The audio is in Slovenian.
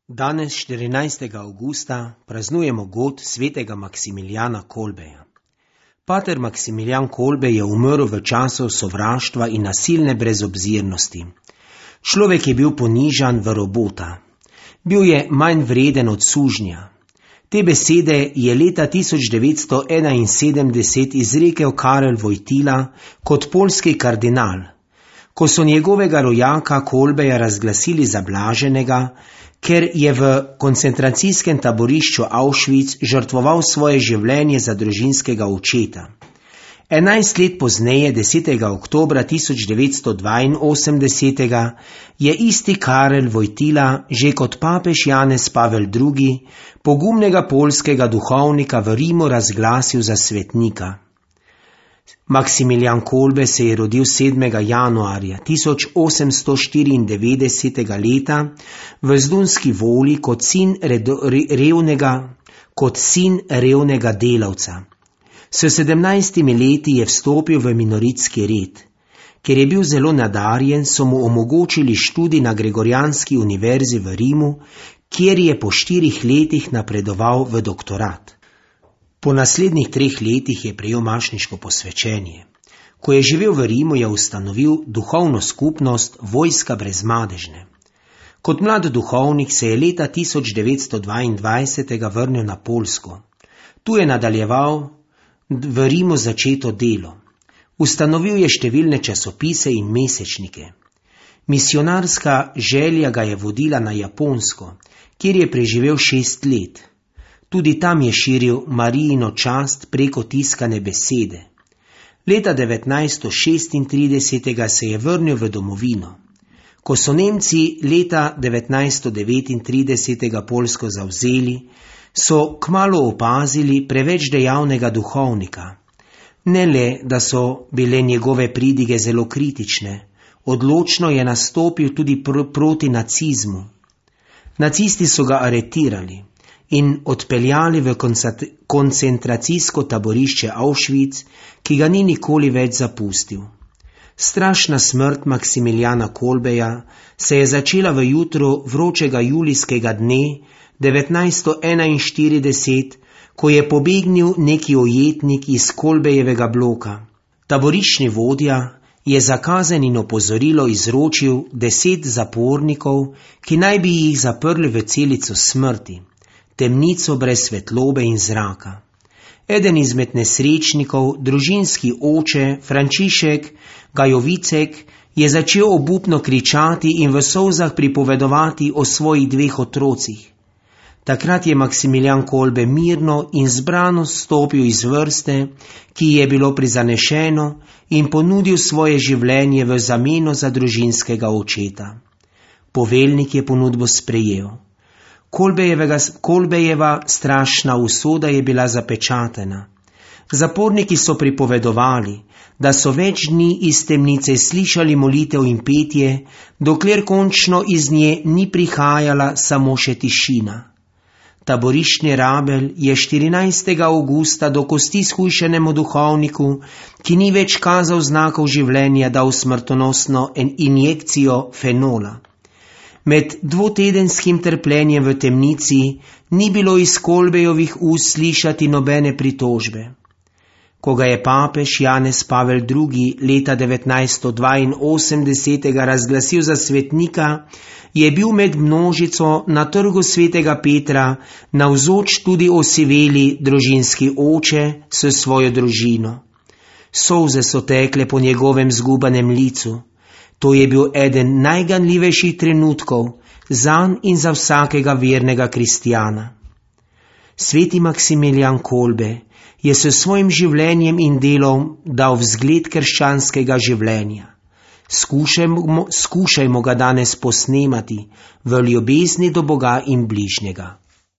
Danes, 14. avgusta, praznujemo god svetega Maksimilijana Kolbeja. Pater Maksimilijan Kolbej je umrl v času sovraštva in nasilne brezobzirnosti. Človek je bil ponižan v robota. Bil je manj vreden od sužnja. Te besede je leta 1971 izrekel Karel Wojtyla kot poljski kardinal, ko so njegovega rojaka Kolbeja razglasili za blaženega, ker je v koncentracijskem taborišču Auschwitz žrtvoval svoje življenje za družinskega očeta. 11 let pozneje, 10. oktobra 1982, je isti Karel Wojtyla že kot papež Janez Pavel II. Pogumnega poljskega duhovnika v Rimu razglasil za svetnika. Maksimilijan Kolbej se je rodil 7. januarja 1894 leta v Zdunski Voli kot sin revnega delavca. S 17 leti je vstopil v minoritski red. Ker je bil zelo nadarjen, so mu omogočili študij na Gregorijanski univerzi v Rimu, kjer je po 4 letih napredoval v doktorat. Po naslednjih 3 letih je prejel mašniško posvečenje. Ko je živel v Rimu, je ustanovil duhovno skupnost Vojska brez madežne. Kot mlad duhovnik se je leta 1922 vrnil na Poljsko. Tu je nadaljeval v Rimu začeto delo. Ustanovil je številne časopise in mesečnike. Misionarska želja ga je vodila na Japonsko, kjer je preživel 6 let. Tudi tam je širil Marijino čast preko tiskane besede. Leta 1936 se je vrnil v domovino. Ko so Nemci leta 1939 Poljsko zavzeli, so kmalu opazili preveč dejavnega duhovnika. Ne le, da so bile njegove pridige zelo kritične, odločno je nastopil tudi proti nacizmu. Nacisti so ga aretirali in odpeljali v koncentracijsko taborišče Auschwitz, ki ga ni nikoli več zapustil. Strašna smrt Maksimilijana Kolbeja se je začela v jutru vročega julijskega dne 1941, ko je pobegnil neki ujetnik iz Kolbejevega bloka. Taboriščni vodja je za kazen in opozorilo izročil 10 zapornikov, ki naj bi jih zaprli v celico smrti, temnico brez svetlobe in zraka. Eden izmed nesrečnikov, družinski oče Frančišek Gajovicek, je začel obupno kričati in v solzah pripovedovati o svojih 2 otrocih. Takrat je Maksimilijan Kolbej mirno in zbrano stopil iz vrste, ki je bilo prizanešeno, in ponudil svoje življenje v zameno za družinskega očeta. Poveljnik je ponudbo sprejel. Kolbejeva strašna usoda je bila zapečatena. Zaporniki so pripovedovali, da so več dni iz temnice slišali molitev in petje, dokler končno iz nje ni prihajala samo še tišina. Taboriščni rabelj je 14. avgusta do kosti shujšenemu duhovniku, ki ni več kazal znakov življenja, dal smrtonosno injekcijo fenola. Med 2-tedenskim trpljenjem v temnici ni bilo iz Kolbejovih ust slišati nobene pritožbe. Ko ga je papež Janez Pavel II. Leta 1982 razglasil za svetnika, je bil med množico na trgu svetega Petra navzoč tudi osiveli družinski oče s svojo družino. Solze so tekle po njegovem zgubanem licu. To je bil eden najganljivejših trenutkov zanj in za vsakega vernega kristjana. Sveti Maksimilijan Kolbej je s svojim življenjem in delom dal vzgled krščanskega življenja. Skušajmo ga danes posnemati v ljubezni do Boga in bližnjega.